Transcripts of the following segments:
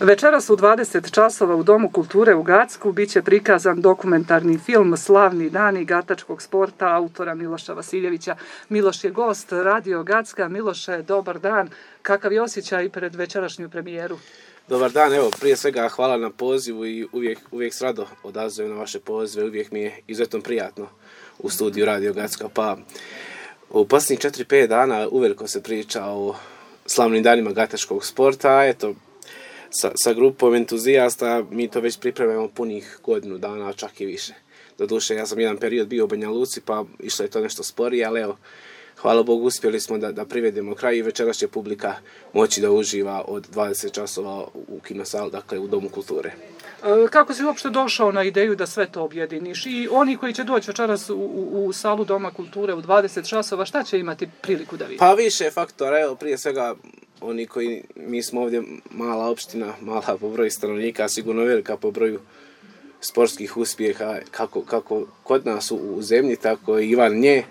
Večeras u 20 časova u Domu kulture u Gacku bit će prikazan dokumentarni film Slavni dani gatačkog sporta autora Miloša Vasiljevića. Miloš je gost Radio Gacka. Miloše, dobar dan. Kakav je osjećaj pred večerašnju premijeru? Dobar dan, evo prije svega hvala na pozivu i uvijek s rado odazujem na vaše pozive, uvijek mi je izuzetno prijatno u studiju Radio Gacka. Pa u posljednjih 4-5 dana uveliko se priča o slavnim danima gatačkog sporta, eto sa grupom entuzijasta mi to već pripremamo punih godinu dana, čak i više. Doduše, ja sam jedan period bio u Banja Luci, pa išlo je to nešto sporije, ali evo, hvala Bogu, uspjeli smo da privedemo kraj i večeras će publika moći da uživa od 20 časova u kinosali, dakle u Domu kulture. Kako si uopšte došao na ideju da sve to objediniš? I oni koji će doći večeras u salu Doma kulture u 20 časova, šta će imati priliku da vidi? Pa više faktora, evo prije svega oni koji, mi smo ovdje mala opština, mala po broju stanovnika, sigurno velika po broju sportskih uspjeha, kako kod nas u zemlji, tako i van nje.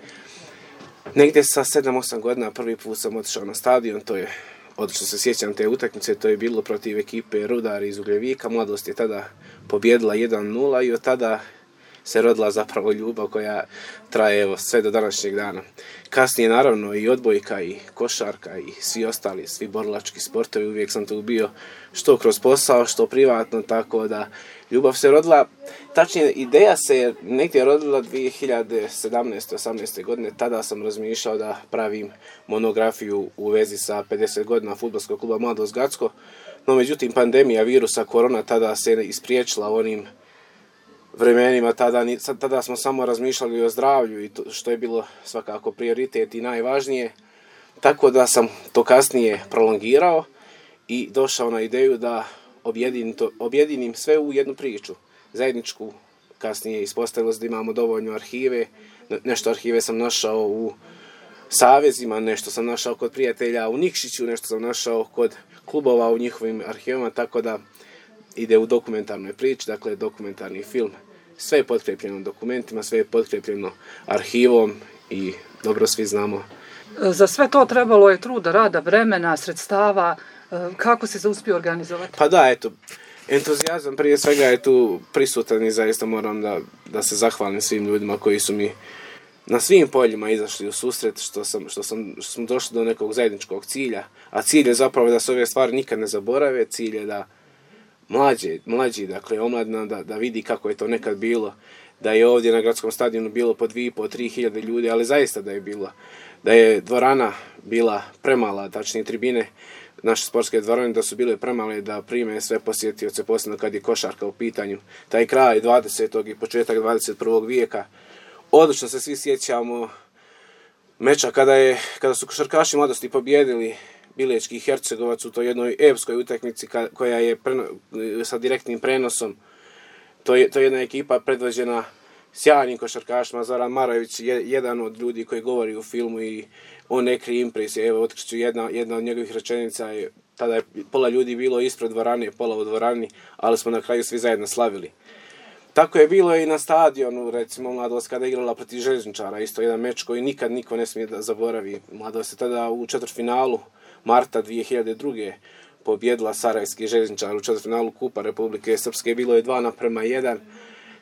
Negdje sa 7-8 godina prvi put sam otišao na stadion, to je, odlično se sjećam te utakmice, to je bilo protiv ekipe Rudar iz Ugljevika, Mladost je tada pobjedila 1-0 i od tada se rodila zapravo ljubav koja traje evo, sve do današnjeg dana. Kasnije naravno i odbojka i košarka i svi ostali, svi borilački sportovi, uvijek sam tu bio što kroz posao, što privatno, tako da ljubav se rodila, tačnije ideja se negdje rodila 2017-18. godine, tada sam razmišljao da pravim monografiju u vezi sa 50 godina fudbalskog kluba Mladost Gacko, no međutim pandemija virusa korona tada se ispriječila onim vremenima, tada smo samo razmišljali o zdravlju i to, što je bilo svakako prioritet i najvažnije, tako da sam to kasnije prolongirao i došao na ideju da objedinim sve u jednu priču, zajedničku. Kasnije ispostavilo se da imamo dovoljno arhive, nešto arhive sam našao u savezima, nešto sam našao kod prijatelja u Nikšiću, nešto sam našao kod klubova u njihovim arhivama, tako da ide u dokumentarnoj priči, dakle dokumentarni film. Sve je potkrepljeno dokumentima, sve je potkrepljeno arhivom i dobro svi znamo. Za sve to trebalo je truda, rada, vremena, sredstava. Kako si se uspio organizovati? Pa da, eto, entuzijazam prije svega je tu prisutan i zaista moram da se zahvalim svim ljudima koji su mi na svim poljima izašli u susret, što smo došli do nekog zajedničkog cilja, a cilj je zapravo da se ove stvari nikad ne zaborave, cilj je da mlađi, dakle omladina, da vidi kako je to nekad bilo, da je ovdje na gradskom stadionu bilo po 2.500-3 hiljade ljudi, ali zaista da je bilo, da je dvorana bila premala, tačnije tribine, naše sportske dvorane da su bile premale da prime sve posjetioce, posebno kad je košarka u pitanju. Taj kraj 20. i početak 21. vijeka. Odlično se svi sjećamo meča kada su košarkaši Mladosti pobjedili Bilećki Hercegovac u toj jednoj epskoj utakmici koja je sa direktnim prenosom. To je jedna ekipa predvođena sjajnim košarkašima. Zoran Maravić je jedan od ljudi koji govori u filmu i on ne krije impresije. Evo, otkriću jedna od njegovih rečenica je, tada je pola ljudi bilo ispred dvorane, pola u dvorani, ali smo na kraju svi zajedno slavili. Tako je bilo i na stadionu, recimo Mladost kada je igrala protiv Željezničara, isto jedan meč koji nikad niko ne smije da zaboravi. Mladost je tada u četvrtfinalu marta 2002. pobjedila Sarajevski Željezničar u četvrtfinalu Kupa Republike Srpske, bilo je 2:1.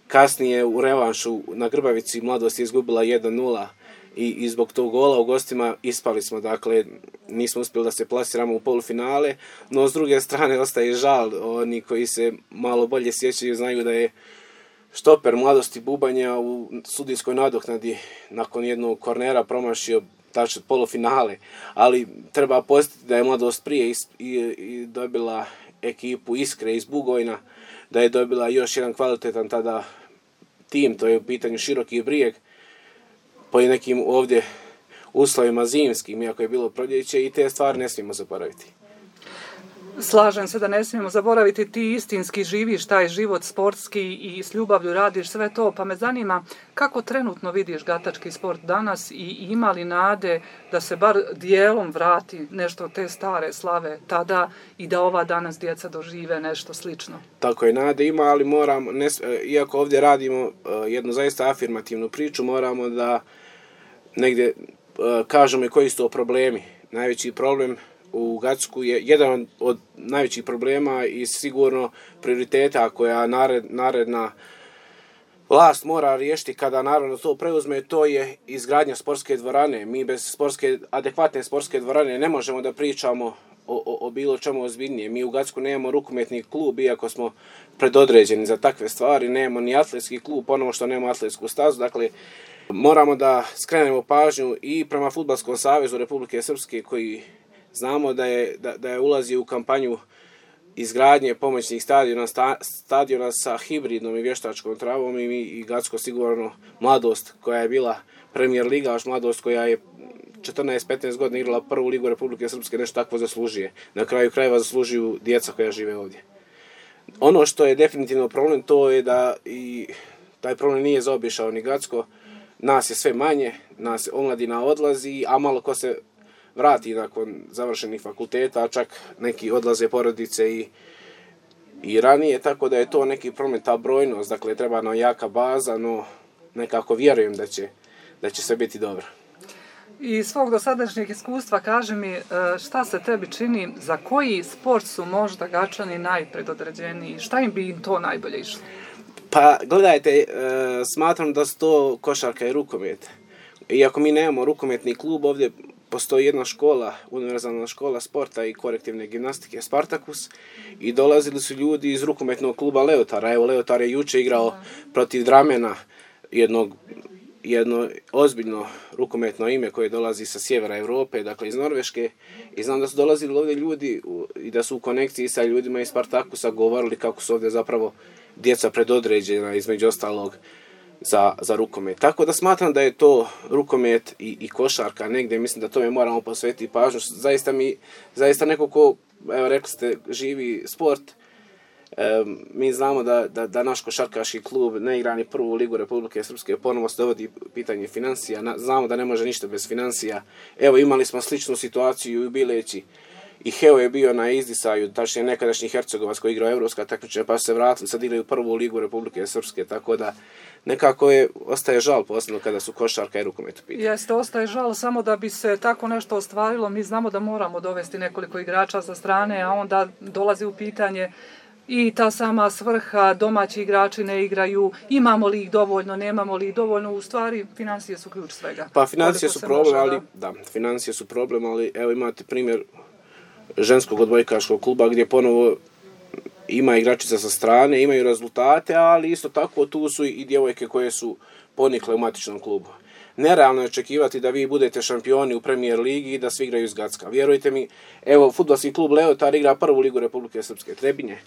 Kasnije u revanšu na Grbavici Mladost je izgubila 1:0 i zbog tog gola u gostima ispali smo, dakle nismo uspjeli da se plasiramo u polufinale, no s druge strane ostaje žal, oni koji se malo bolje sjećaju znaju da je štoper Mladosti Bubanja u sudijskoj nadoknadi nakon jednog kornera promašio tačno polufinale, ali treba podsjetiti da je Mladost prije i dobila ekipu Iskre iz Bugojna, da je dobila još jedan kvalitetan tada tim, to je u pitanju Široki Brijeg, po nekim ovdje uslovima zimskim, iako je bilo proljeće, i te stvari ne smijemo zaboraviti. Slažem se da ne smijemo zaboraviti, ti istinski živiš taj život sportski i s ljubavlju radiš sve to, pa me zanima kako trenutno vidiš gatački sport danas i ima li nade da se bar dijelom vrati nešto te stare slave tada i da ova danas djeca dožive nešto slično? Tako je, nade ima, ali moramo, iako ovdje radimo jednu zaista afirmativnu priču, moramo da negdje kažemo i koji su to problemi. Najveći problem u Gacku je jedan od najvećih problema i sigurno prioriteta koja naredna vlast mora riješiti kada naravno to preuzme, to je izgradnja sportske dvorane. Mi bez adekvatne sportske dvorane ne možemo da pričamo o bilo čemu ozbiljnije. Mi u Gacku nemamo rukometni klub, iako smo predodređeni za takve stvari, nemamo ni atletski klub, ponovo što nemamo atletsku stazu. Dakle, moramo da skrenemo pažnju i prema Fudbalskom savezu Republike Srpske, koji znamo da je ulazio u kampanju izgradnje pomoćnih stadiona sa hibridnom i vještačkom travom i Gacko sigurno Mladost koja je bila premijer ligaš, Mladost koja je 14-15 godina igrala prvu ligu Republike Srpske, nešto takvo zaslužuje. Na kraju krajeva zaslužuju djeca koja žive ovdje. Ono što je definitivno problem, to je da i taj problem nije zaobišao ni Gacko. Nas je sve manje, nas omladina odlazi, a malo ko se vrati nakon završenih fakulteta, a čak neki odlaze porodice i ranije, tako da je to neki problem, ta brojnost. Dakle, treba nam jaka baza, no nekako vjerujem da će sve biti dobro. I svog dosadašnjeg iskustva kaži mi šta se tebi čini, za koji sport su možda Gačani najpredodređeniji, šta im bi im to najbolje išlo? Pa gledajte, smatram da su to košarka i rukomet. Iako mi nemamo rukometni klub, ovdje postoji jedna škola, univerzalna škola sporta i korektivne gimnastike Spartakus i dolazili su ljudi iz rukometnog kluba Leotara. Evo, Leotar je juče igrao protiv Dramena, jedno ozbiljno rukometno ime koje dolazi sa sjevera Europe, dakle iz Norveške, i znam da su dolazili ovdje ljudi i da su u konekciji sa ljudima iz Spartakusa govorili kako su ovdje zapravo djeca predodređena između ostalog za rukomet. Tako da smatram da je to rukomet i košarka negdje, mislim da tome moramo posvetiti pažnju. Zaista neko ko, evo rekli ste, živi sport, mi znamo da naš košarkaški klub ne igra ni prvu ligu Republike Srpske, ponovo se dovodi pitanje financija, znamo da ne može ništa bez financija. Evo, imali smo sličnu situaciju u Bileći i Heo je bio na izdisaju, tačnije nekadašnji Hercegovac koji igrao evropska takmičenja, pa su se vratili, sad igraju prvu ligu Republike Srpske, tako da nekako ostaje žal posebno kada su košarka i rukomet u pitanju. Jeste, ostaje žal, samo da bi se tako nešto ostvarilo, mi znamo da moramo dovesti nekoliko igrača sa strane, a onda dolazi u pitanje i ta sama svrha, domaći igrači ne igraju, imamo li ih dovoljno, nemamo li ih dovoljno, u stvari financije su ključ svega. Pa financije su problem, ali evo imate primjer ženskog odbojkaškog kluba gdje ponovo ima igračica sa strane, imaju rezultate, ali isto tako tu su i djevojke koje su ponikle u matičnom klubu. Nerealno je očekivati da vi budete šampioni u premijer ligi i da svi igraju iz Gacka. Vjerujte mi, evo, fudbalski klub Leotar igra prvu ligu Republike Srpske. Trebinje,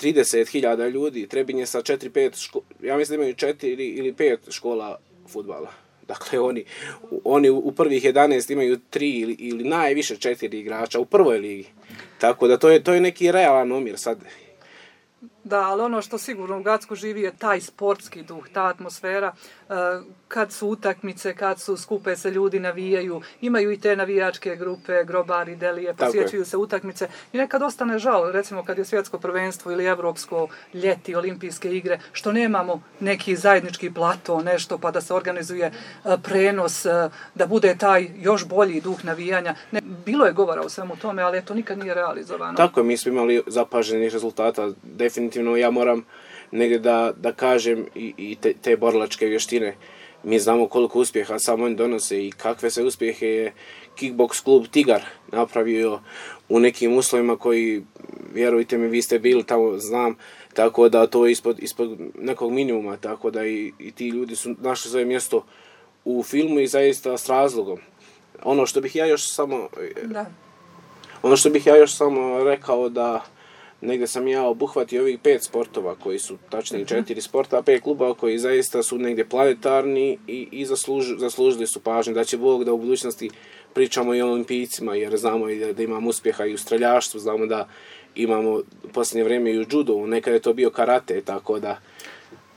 30.000 ljudi, Trebinje sa 4-5, ja mislim da imaju 4 ili 5 škola fudbala. Dakle, oni u prvih 11 imaju 3 ili najviše 4 igrača u prvoj ligi. Tako da to je neki realan omjer sad. Da, ali ono što sigurno u Gacku živi je taj sportski duh, ta atmosfera, kad su utakmice, kad su skupe se ljudi, navijaju, imaju i te navijačke grupe, grobari, delije, posjećuju se utakmice i nekad ostane žal, recimo kad je svjetsko prvenstvo ili evropsko, ljeti, olimpijske igre, što nemamo neki zajednički plato, nešto pa da se organizuje prenos, da bude taj još bolji duh navijanja. Bilo je govora o svemu tome, ali to nikad nije realizovano. Tako je, mi smo imali zapaženih rezultata, definitivno ja moram negdje da kažem i te borilačke vještine. Mi znamo koliko uspjeha samo oni donose i kakve se uspjehe je kickbox klub Tigar napravio u nekim uslovima koji, vjerujte mi, vi ste bili tamo, znam, tako da to je ispod nekog minimuma, tako da i ti ljudi su našli svoje mjesto u filmu i zaista s razlogom. Ono što bih ja još samo rekao da negdje sam ja obuhvatio ovih 5 sportova koji su tačnije 4 sporta, 5 klubova koji zaista su negdje planetarni i zaslužili su pažnju. Da će Bog da u budućnosti pričamo i o olimpijcima, jer znamo i da imamo uspjeha i u streljaštvu, znamo da imamo u posljednje vrijeme i u judu, nekada je to bio karate, tako da.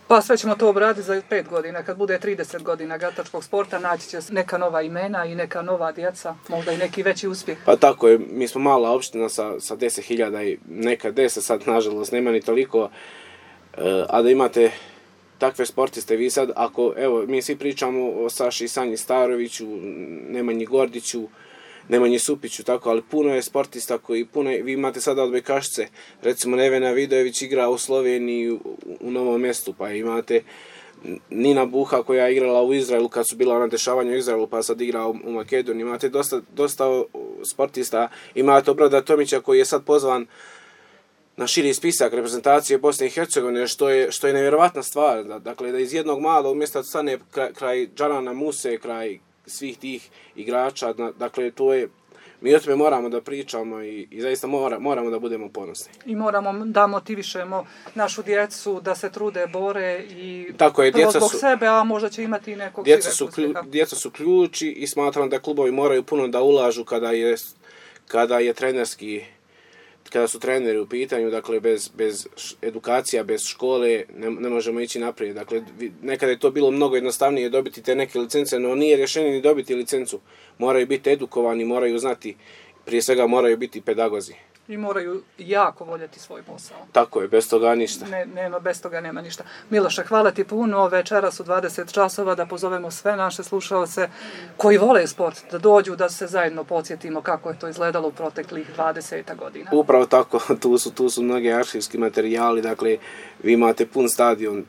Pa sve ćemo to obraditi za 5 godina, kad bude 30 godina gatačkog sporta, naći će neka nova imena i neka nova djeca, možda i neki veći uspjeh. Pa tako je, mi smo mala opština sa 10.000 i neka 10, sad nažalost nema ni toliko, a da imate takve sportiste, vi sad, ako, evo, mi svi pričamo o Saši Sanji Staroviću, Nemanji Gordiću, Nemanji Supiću, tako, ali puno je sportista vi imate sada odbojkašice, recimo Nevena Vidojević igra u Sloveniji u Novom Mjestu, pa imate Nina Buha koja je igrala u Izraelu kad su bila ona dešavanja u Izraelu, pa sad igra u Makedoniji, imate dosta sportista, imate Obrada Tomića koji je sad pozvan na širi spisak reprezentacije Bosne i Hercegovine, što je nevjerovatna stvar, dakle da iz jednog malog mjesta stane kraj Džanana Muse, kraj svih tih igrača, dakle to je, mi o tome moramo da pričamo i zaista moramo da budemo ponosni. I moramo da motivišemo našu djecu da se trude, bore i tako je, prvo zbog sebe, a možda će imati i nekog djeca su ključi i smatram da klubovi moraju puno da ulažu kada je trenerski, kada su treneri u pitanju, dakle bez edukacija, bez škole ne možemo ići naprijed. Dakle, nekada je to bilo mnogo jednostavnije dobiti te neke licence, no nije rješenje ni dobiti licencu. Moraju biti edukovani, moraju znati, prije svega moraju biti pedagozi. I moraju jako voljeti svoj posao. Tako je, bez toga ništa. Bez toga nema ništa. Miloše, hvala ti puno. Večeras u 20 časova da pozovemo sve naše slušalce koji vole sport, da dođu, da se zajedno podsjetimo kako je to izgledalo u proteklih 20 godina. Upravo tako, tu su mnogi arhivski materijali, dakle, vi imate pun stadion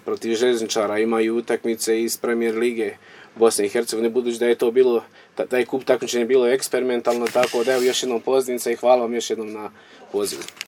protiv željezničara, imaju utakmice iz Premier lige Bosne i Hercegovine, budući da je to bilo, taj kup takmičenja bilo eksperimentalno, tako da evo još jednom pozivnica i hvala vam još jednom na pozivu.